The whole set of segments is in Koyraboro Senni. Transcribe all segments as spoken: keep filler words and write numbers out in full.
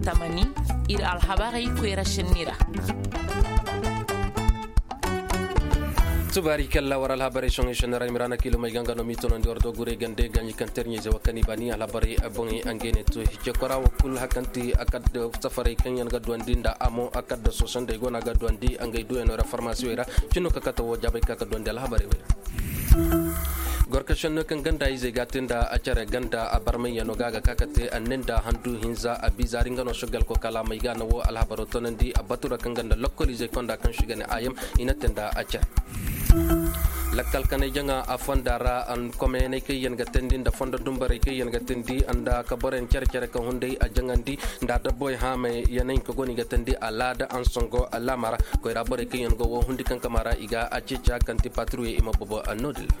Tamani, ir alhabarey koyra šenni ra. Tubaari kalla war alhabarey soŋey šenni ra i ma ra na kiilumey ga nga no m'i tonandi war do gurey gande ga ɲi kaŋ terɲey ze wa kani baani alhabarey boŋey a ngey ne to hicce kora wo kul hakanti a kadda safarey kaŋ yaŋ ga duwandi nda amo a kadda soosandey go no a ga duwandi a ngey duwey no ra farmasiwey ra. Cinno ka kate wo jaabey ka ka duwandi alhabarey wey ra. Gorkašenno kaŋ ganda izey ga a te nda a care ganda a barmayyaŋo ga a ga ka ka te a ne nda handu hinza a bizaari nga no sogal ko kalaamey ga na wo alhabaro tonandi a batura kaŋ ganda lokkol izey konda kaŋ si ga ne ayam i na te nda a care. Lakkal kanay jaŋa a fonda ra an komeyaney kaŋ yaŋ ga teendi nda fondo dumbarey kaŋ yaŋ ga teendi nda ka boroyaŋ care care ka hunday a jaŋandi nda dabboy haamay yaŋ ka go no i ga teendi alaada an songo alaama ra. Koyra borey kaŋ yaŋ go wo hundi kaŋ kama ra i ga a ceeci a kaŋ ti patiruyey i ma bobo a no-din ra.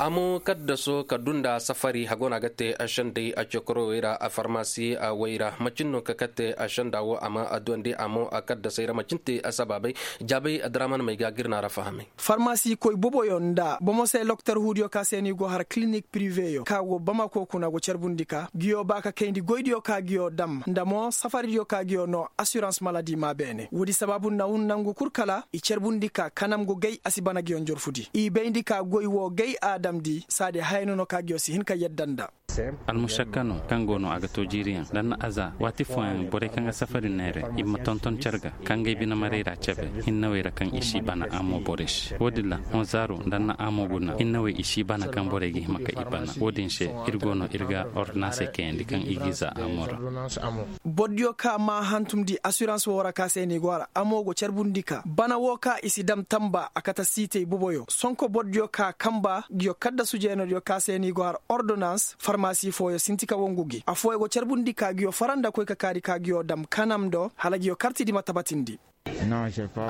Amo kaddaso ka dunda safari hago no a ga te a sendey a cokorowey ra a farmasi a wey ra macin no ka kate a senda wo a ma a duwandi amo a kaddasey ra macin te a sabaabey. Jaabey adraman may ga gir na ra fahamay. Farmasi koy boboyo nda bomo se loktor huudiyo ka se ni go har kilinik piriveyo ka go bamako kuna go carbundi ka giyo ba ka kayndi goydiyo ka giyo dam nda mo safaridiyo ka giyo no asirans maladi ma beene woodi sabaabu na hun nangu kul kala i carbundi ka kanam go gay a si bana giyo njorfudi i bayndi ka goy wo gay a damndi saadi haya no no ka giyo si hin ka yadda nda. Almušakka no kaŋ go no a ga to jiiriyaŋ nda na aza waati fooyaŋ borey kaŋ ga safari neere i ma tonton care ga kaŋ ga ay bine marey ra cabe hinnawey ra kaŋ i si bana amo borey se wo-din ra honzaaru nda na amo guna hinnawey i si bana kaŋ borey ga hima ka i bana wo-din se ir go no ir ga ordinansey kayandi kaŋ i g'i za amo ra. Bordiyo ka ma hantumndi asirans wo ra ka se ni go a ra amo go carbundi ka bana wo ka i si dam tamba a kate siitey boboyo sonko bordiyo ka kamba giyo kaddasu jeenodiyo ka se ni go a ra ordonans farmasi fooyo sinti ka wangu gi afooyo go carbundi ka giyo fara nda koy ka kaari ka giyo dam kanam do hala giyo kartidi ma tabatindi.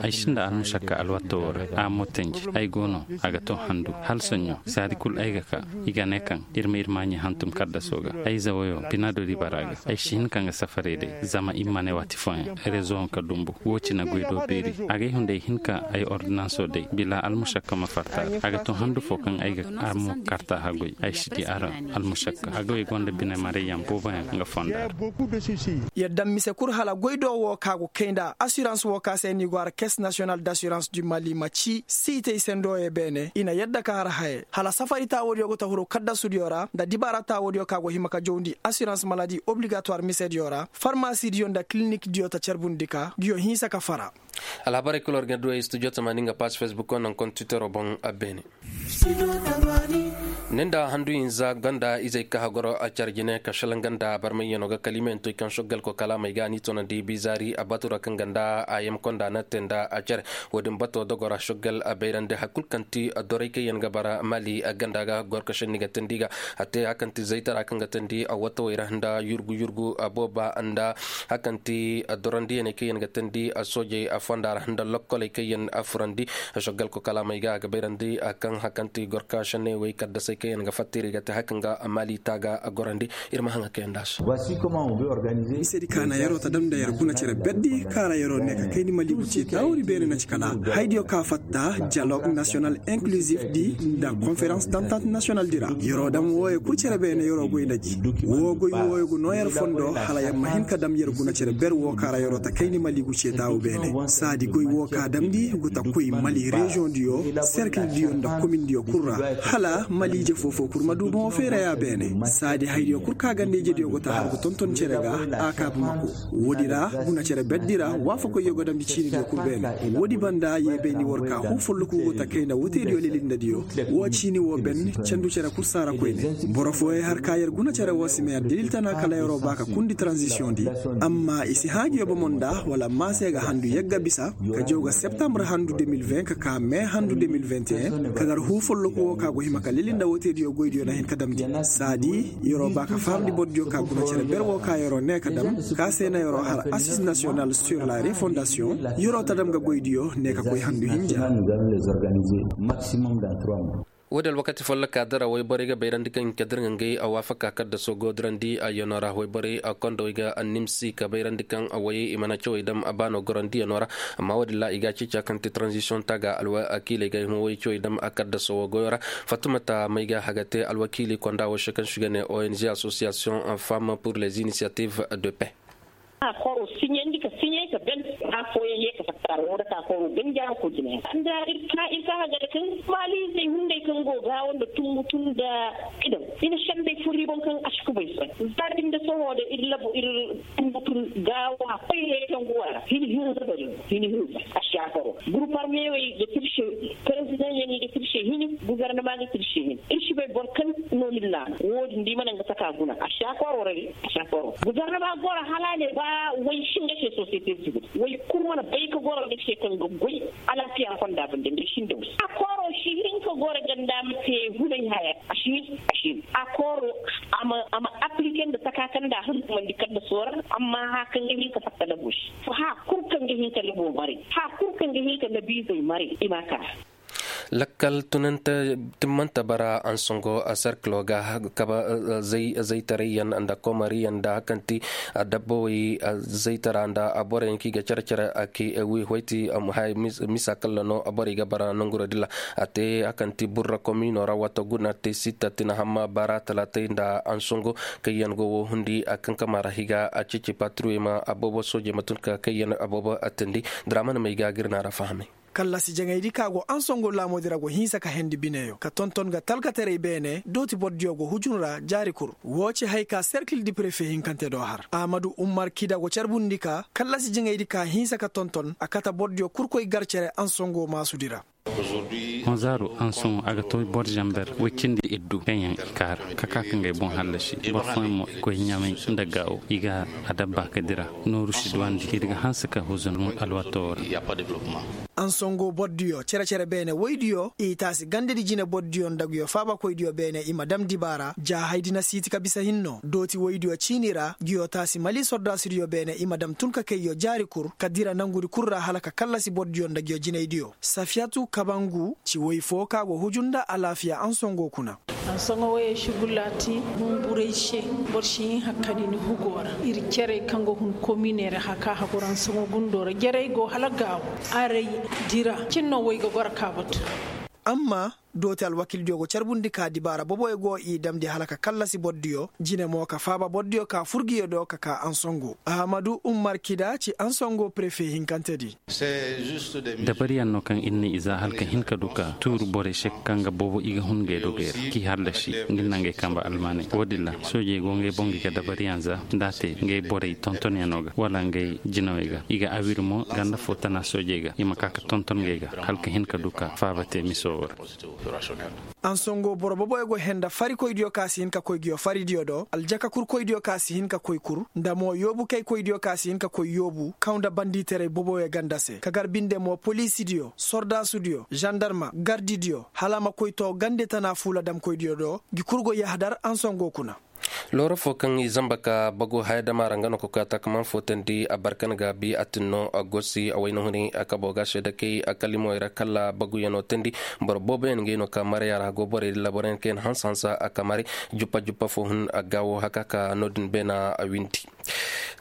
Ay sinda almušakka alwato wo ra a mo tenji ay go no a ga to handu hala soɲõ saadi kul ay ga ka i ga ne kaŋ ir ma ir maaɲi hantum kaddaso ga ay zawoyo bina do dibara ga ay si hin ka nga safarey day zama i ma ne waati fooyaŋ rezoŋ ka dumbu wo cine goy do beeri a ga ay hunday hin ka ay ordinanso day bila almušakka ma fatta a ga to handu fo kaŋ ay ga a mo karta hagoy ay si di a ra. Almušakka hagoy gonda bine marayyaŋ booboyaŋ nga fonda ra. Yadda mise kul hala goy do wo ka go kay nda asirans wo ka se ni go har kes nasiyonal d'asirans du mali ma ci siitey sendooyey beene i na yadda ka har haye hala safari taawoodiyo go ta huru kaddasudiyo ra nda dibaara taawoodiyo ka go hima ka jawndi asirans maladi obligatowar misediyo ra farmasidiyo nda kilinikdiyo ta carbundi ka giyo hinsa ka fara. Alhabarey kul war ga duwey studio tamaani nga paas fesbuk wo naŋ kontitero boŋ a beene. Ni nda handu hinza ganda izey ka hagoro a care jine ka šalaŋ ganda barmayyaŋo ga kalimeyantoy kaŋ šoggal ko kalaamey ga ni tonandi bizaari a batura kaŋ ganda a yamkonda na te nda a care wo-din bato dogora šoggal a bayrandi har kul kaŋ ti dorey kaŋ yaŋ ga bara mali ganda ga gorkašenni ga teendi ga a te har kaŋ ti zaytara kaŋ ga teendi a watawey ra nda yurgu yurgu a booba nda har kaŋ ti dorandiyaney kaŋ yaŋ ga teendi a soojey a fonda ra nda lokkoley kaŋ yaŋ a furandi. Šoggal ko kalaamey ga a ga bayrandi a kaŋ hakanti gorka šenney wey kaddasey kaŋ yaŋ ga fattiri ga te hakan ga mali taaga a gorandi. Ir ma haŋa kaŋ yaŋ da se. Misedi ka na yeroo ta dam nda yer guna cere berdi ka ra yeroo ne ka kayndi mali guce taawuri beene na ci kala haydiyo ka fatta dialogue national inclusif di nda konferans d'entente national di ra yeroo dam wooyo kul cere beene yeroo goy nda ji woo goy wooyo go noo yer fondo hala yer ma hin ka dam yer guna cere ber woo ka ra yeroo ta kayndi mali guce taawu beene saadi goy woo ka damndi go ta koy mali reziyoŋ diyo serkil diyo nda komin diyo kul ra hala mali ije foofoo kul ma du boŋo feeraya beene saadi haydiyo kul ka ganda ije diyo go ta har go tonton cere ga a kaabu ma ko woodi ra guna cere berdi ra waafakoyyo go damndi ciini diyo kul beene woodi banda ye bayndi war ka huu folloku go ta kayna woteediyo lelindadiyo woo ciini woo ben candu cere kul saara koyne boro fooyey har ka yer guna cere woo si ma yer dalil tana kala yeroo ba ka kundi taranzisiyoŋ di amma i si hãa ngi yobomo nda wala maase ga handu yagga bisa ka jaw ga septambre handu de mil vingt ka ka me handu de mil vingt et un ka gar huu folloku woo ka go hima ka leli nda woteediyo goydiyo na hin ka damndi saadi yeroo ba ka fahamndi bordiyo ka guna cere ber woo ka yeroo ne ka dam ka se na yeroo har asis nasiyonal sur la refondasiyoŋ yeroo ta dam ga goydiyo ne ka koy handu hinja. Woodi alwakati folloka dira wayborey ga bayrandi kaŋ i ka dira nga ngey a waafaka kaddaso go dirandi a yano ra wayborey a kondowey ga annimsi ka bayrandi kaŋ a wayey i mana cawey dam a baano gorandi yano ra. Amma woodi ra i ga a ceeci a kaŋ ti tranzisiyoŋ taaga alwakiiley ga hima way cawey dam a kaddaso wo goyo ra. Fatumata may ga haga te alwakiili konda wo se kaŋ si ga ne ong association femme pour les initiatives de paix. A koro siɲandi ka siɲay ka ben. A fooyaŋ ye ka fatta ra woo dake a koro ganjaara ko jina yaŋ nda ir ka ir ka hagare kaŋ maaliizey hunday kaŋ go gaawo nda tumbu tun nda idaw i na sendey fur i boŋ kaŋ a si kubay sohõ. Za din da sohõ da ir labu ir tumbu tun gaawo a koy heecaŋ go a ra hini hinza bari hini hinza a si a koro. Gurupar meewey ga tirse perezidaŋ yaŋ i ga tirse hini. Gubarnama ga tirse hini ir si bay boro kaŋ no ni laama woo din da i mana nga taka guna a si a koro ra de. Gubernama goro hala a ne ba way si nga se sosiyete sivil way kul mana bay ka goro nga se kaŋ ga goy. Alaafiya fonda bande nda i si nda way a kooro si hin ka goro ganda ma te hulay haya a si hin a si hin a kooro. A ma aplike nda taka kaŋ nda a hantumandi kaŋ nda soora. Amma haya kaŋ ga hin ka fatta labo se haya kul kaŋ ga hin ka labo maray haya kul kaŋ ga hin ka labiizey maray i ma a ka. Lakkal tunante timmante bara ansango serkilo ga kaba zaytarayyaŋ nda komariyaŋ nda hakanti dabbawey zaytara nda borey yaŋ kaŋ i ga care care a kay wi hoyti. Misa kalla no borey ga bara nanguro dilla a te hakanti burra komino ra wato guna te sitta tina hamma bara talatay nda ansango kaŋ yaŋ go wo hundi a kankama ra higa a ceeci patruwey ma aboobo soojey ma tun ka kaŋ yaŋ aboobo a tindi. Diraman may ga girna ra fahamay. Kallasi jaŋaydi ka go ansongo laamoodi ra go hinsa ka hendi bineyo ka tonton ga talkataray beene dooti bordiyo go hujun ra jaari kul. Woo ci hay ka serkil di prefe hinkante do har ahmadu ummar kida go carbundi ka kallasi jaŋaydi ka hinsa ka tonton a kate bordiyo kul koy gar cere ansongo maasudi ra. Honzaaro ansoŋo a ga to bor zamber woy cindi iddu kaŋ yaŋ i kaara ka ka ka ngay boŋ hallasi bor fooyaŋ mo i koy ɲamay nda gaawo i ga a dabba ka dira. Nooru si duwandi ir ga hanse ka huzun alwato ra. Ansongo bordiyo cere-cere beene woydiyo i taasi gandedi jine bordiyo nda nguyo faabakoydiyo beene i ma dam dibaara ja haydi na siiti ka bisa hinno dooti woydiyo ciini ra nguyo taasi mali sordaasidiyo beene i ma dam tun ka kayyo jaari kul ka dira nangudi kul ra hala ka kallasi bordiyo nda nguyo jinaydiyo. Safiyatu kabangu ci woy fo ka go huju nda alaafiya ansongo kuna. Ansoŋo woyey si gulaati humburay se. Boro si hin hakkani ni hugo ra ir cerey kaŋ ga hun kominey ra haka hagor ansoŋo gundo ra jerey go hala gaawo. Aray dira cin no woy ga goro ka batu. Amma dooti alwakildiyo go carbundi ka dibaara boboyo go i damndi hala ka kallasi bordiyo jine mo ka faaba bordiyo ka fur nguyo do ka ka ansongo ahamadu ummar kida ci ansongo prefe hinkantedi. Dabariyaŋ no kaŋ ir na i za hala ka hin ka du ka tuuru borey se kaŋ ga boobo i ga hun ngey dogey ra k'i hallasi nga na ngey kambe almaaney wo-din ra soojey go ngey boŋ ga i ga dabariyaŋ za nda a te ngey borey tontonyaŋo ga wala ngey jinawey ga i ga awir mo ganda fo tana soojey ga i ma ka ka tonton ngey ga hala ka hin ka du ka faaba te miso wo ra. Ansongo boro boboyo go henda farikoydiyo ka si hin ka koy nguyo faridiyo do aljaka kurkoydiyo ka si hin ka koy kur nda mo yoobukaykoydiyo ka si hin ka koy yoobu kaw nda banditaray boboyo ganda se ka gar binde mo poliisidiyo sordaasudiyo zandarma gardidiyo hala a ma koy to gande tana fuula damkoydiyo do ngi kul go yahadar ansongo kuna. Looro fo kaŋ i zamba ka bagu haya dama ra nga no ka koy a taakaman footandi a barkan gaabi a tin no a gosi a wayna huni a kabo ga seeda kay a kalimowey ra kala baguyaŋo teendi. Boro booboyaŋ ngey no ka maraya ra go borey dilla boroyaŋ kaŋ yaŋ hanse hanse a ka mare juppa juppa fo hun a gaawo haka ka no-din beena a windi.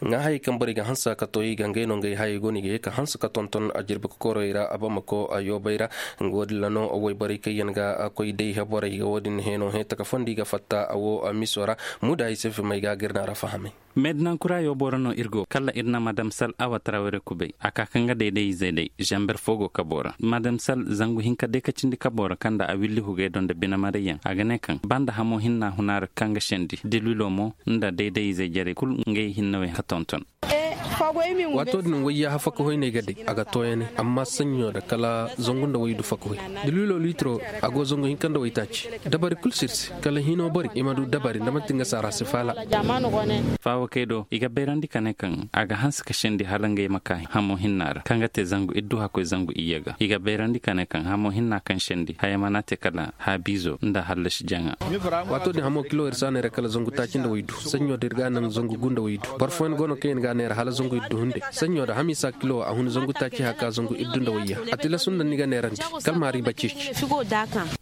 Ŋaahayey kaŋ borey ga hanse ka to i ga ngey no ngey hayey go no i ga ye ka hanse ka tonton a jirbi kokorey ra a bamako a yoobey ra. Nga wo-din ra no wayborey kaŋ yaŋ ga koy day heborey ga wo-din heno he taka fondi ga fatta a wo miso ra. Muda ay se fimay ga gir na ra fahamay. Meedinankura yoobo ra no ir go kala ir na madam sal awa tarawere kubay a ka ka nga dayday-izey day zamber fo go kabo ra madam sal zangu hinka day ka cindi kabo ra kaŋ nda a willi hugay do nda bine marayyaŋ a ga ne kaŋ banda hamo hinna huna ra kaŋ ga sendi dilwilo mo nda dayday-izey jarey kul ngey hinne wey ka tonton. Waato din wayyaaha fakahoy no ay ga day a ga tooyanay amma saɲɲo da kala zangu nda waydu fakahoy. Dilwilo liitiro a go zangu hinka nda waytaaci. Dabari kul sirsi kala hino bari i ma du dabari nda manti nga saara si faala. Faawakey do i ga bayrandi ka ne kaŋ a ga hanse ka sendi hala ngey ma ka hamo hinna ra kaŋ ga te zangu iddu hakkoy zangu iyye ga i ga bayrandi ka ne kaŋ hamo hinna kaŋ sendi haya mana te kala haabiizo nda hallasi jaŋa. Waato din hamo kilo ir si a neera kala zangu taaci nda waydu saɲɲo da ir ga a naŋ zangu gu nda waydu boro fooyaŋ go no kaŋ yaŋ ga a neera hala. Zangu iddu hunde sanɲo da hamiisa kilo a hun zangu taaci haka zangu iddu nda wayya. A tilasu nda ni ga neerandi kalmaari ba ceeci.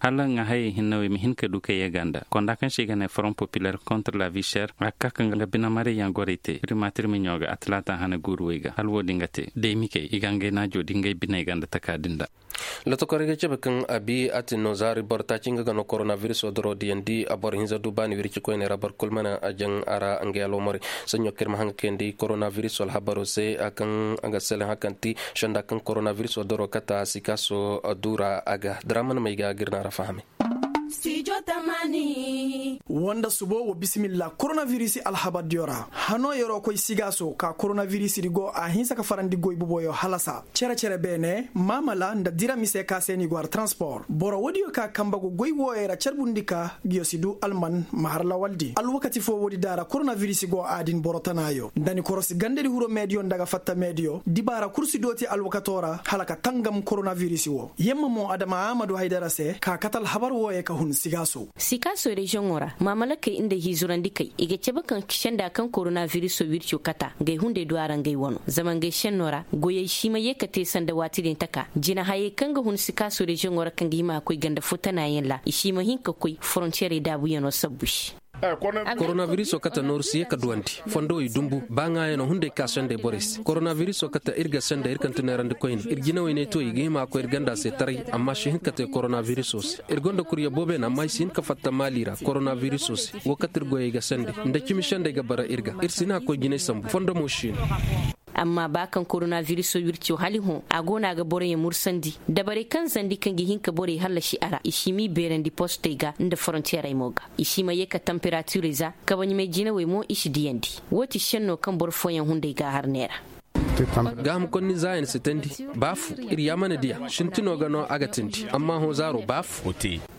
Hala nga hayey hinne wey ma hin ka du kay yee ganda konda kaŋ se i ga ne forom populer kontra la vicher a ka ka nga bine marayyaŋ gorey te primatir miɲo ga a talaata hane guuru wey ga hala wo- din ga te day mi kay i ga ngey naajo di ngey biney ganda taka din da. Lotokorey ga cabe kaŋ a bi a tin no zaari boro taaci nga ga no koronabiriso doro diyandi a boro hinza du baani wirci koyney ra boro kulu mana a jaŋ a ra ngey alwamorey. Saɲɲo kaŋ ir ma haŋ ga kayandi koronabiriso alhabaro se kaŋ a ga selaŋ hakanti senda kaŋ koronabiriso doro kata sikaaso du ra a ga diraman may ga gir na ra fahame. Wanda subo wa bisimilla koronabirisi alhabardiyo ra hano yer'o koy sigaaso ka koronabirisi di go a hinsa ka farandi goy boboyo halasa cere-cere beene maamala nda dira mise ka se ni go har transpor boro woodiyo ka kambe go goy wooyo ra carbundi ka ngiyo si du alman ma har lawaldi alwakati fo woodi daara koronabirisi go a din boro tanaayo nda ni korosi gandedi huro meediyo nda ga fatta meediyo dibaara kul si dooti alwakato ra hala ka tangam koronabirisi wo yemma mo adama aamadu haydara se ka kate alhabar wooyo ka hun sigaaso. Sikaaso reziyoŋo ra maamalakey nda hiizurandikey i ga cabe kaŋ senda kaŋ koronabiriso wirco kata ngey hunday du a ra ngey wano zama ngey senno ra goyey si ma yee ka te sanda waati din taka jinahayey kaŋ ga hun sikaaso reziyoŋo ra kaŋ ga hima ga koy ganda fo tanaayaŋ ra i si ma hin ka koy forontiyeerey daabuyaŋo sabbu se. Koronabiriso kate nooru si yee ka duwandi fondowey dumbu ba ŋaayaŋo hunday ka sendey borey se koronabiriso kate ir ga sendey ir kaŋ ti neerandi koyne ir jinawey ne to i ga hima ga koy ir ganda se taray amma si hin ka te koronabiriso se ir gonda kurya boobeene amma i si hin ka fatta maali ra koronabiriso se wo kate ir goyey ga sendey nda cimi sendey ga bara ir ga ir si hin a ga koy jinay sambu fondo mo si no. Amma ba kaŋ koronabiriso wirco hala i hõ a go no a ga boroyaŋ mursandi dabarey kaŋ zandi kaŋ ga hin ka borey hallasi a ra i si m'i beerandi postey ga nda forontiyeerey mo ga i si ma yee ka tamperatirey za kabaɲumey jinawey mo i si diyandi. Woo ti senno kaŋ boro fooyaŋ hunday ga a har neera. Gaaham konni zaayan si teendi baafu ir yaamana diya sintino ga no a ga teendi amma hõ zaaro baafu.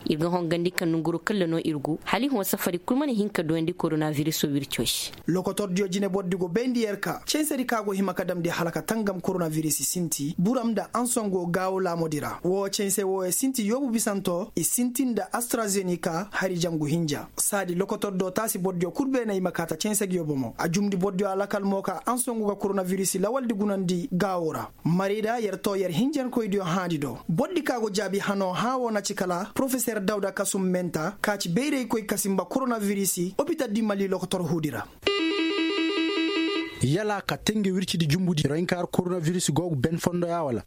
Ir ga hongandi ka nonguru kalla no ir gu hala i hõ safari kul mana hin ka duyandi koronabiriso wirco se. Lokotordiyo jine bordi go bayndi yer ka censedi ka go hima ka damndi hala ka tangam koronabirisi sinti buram nda ansongo gaawo laamodi ra woo cense wooyo sinti yoobu bisanto i sinti nda astrazenika hari jangu hinja saadi lokotordo taasi bordiyo kul beene i ma kaa ta cense gi yo bomo a jumndi bordiyo alakal mo ka ansongo ga koronabirisi lawaldi gunandi gaawo ra. Marida yer too yer hinjankoydiyo hãadi do bordi ka go jaabi hanoo hãa woo na ci kala porofeser dawda kasum menta ka ci bayraykoy ka sinba koronabirisi opital di mali lokotor huudi ra. Yala ka te nge wircidi jumbudi rohinka har koronavirus go ga ben fondo ya wala?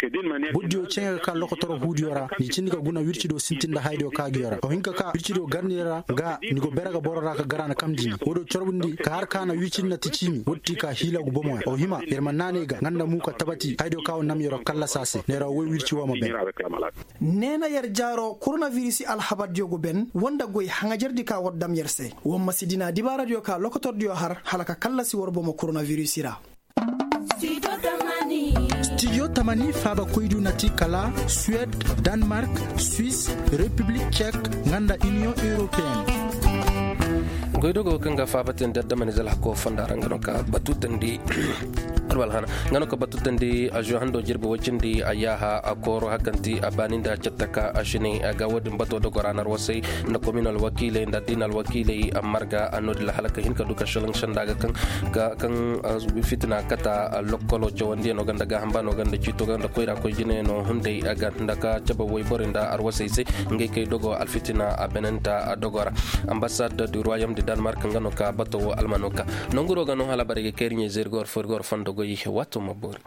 Bordiyo ceŋe ga ka lokotoro huudiyo ra ni cindi ka guna wircido sintin nda haydiyo ka ga yo ra o hin ka ka wircido garniyo ra ga ni go bere ga boro ra ka gara na kamndi ni woodiyo corbundi ka har ka na wircidi na ti ciimi woodi ti ka hiila gu bomo ya o hima yer ma naanay ga nga nda mu ka tabati haydiyo ka wo nam yer wo kallasa se neera woy wirci wo ma ben. Neena yer jaaro koronavirisi alhabardiyo go ben woo nda goy haŋajardi ka war dam yer se. War ma si dina dibaaradiyo ka lokotordiyo har hala ka kallasi war bomo koronavirisi ra. Stijo tamani faabakoydiyo na ti kala suwed, danmark, swis, repiblik cek, nga nda iniyoŋ europeen. Goydogo kaŋ ga faabatandi adamanize alhako fonda ra nga no ka batu tandi. Alwalhana nga no ka batu tandi a zo hando jirbi wacindi a yaaha a kooro hakanti a baani nda cattaka a sine a ga woodin bato dogo ra na arwasay nda komin alwakiiley nda addina alwakiiley a marga a noodin la hala ka hin ka du ka shalaŋ sanda ga kaŋ fitina kata lokkolo cawandiyaŋo ganda gaaham baano ganda ciito ganda koyra koy jinayaŋo hunday a ga nda ka cabe wayborey nda arwasey se. Ngey kay dogo alfitina a benenta a dogo ra. Ambassad du ruwayom de danmark nga no ka bato wo almano ka nonguro ga no hala barey ga kay ir ɲey zey ir ga war fo ir ga war fondo goy. Waato ma boori.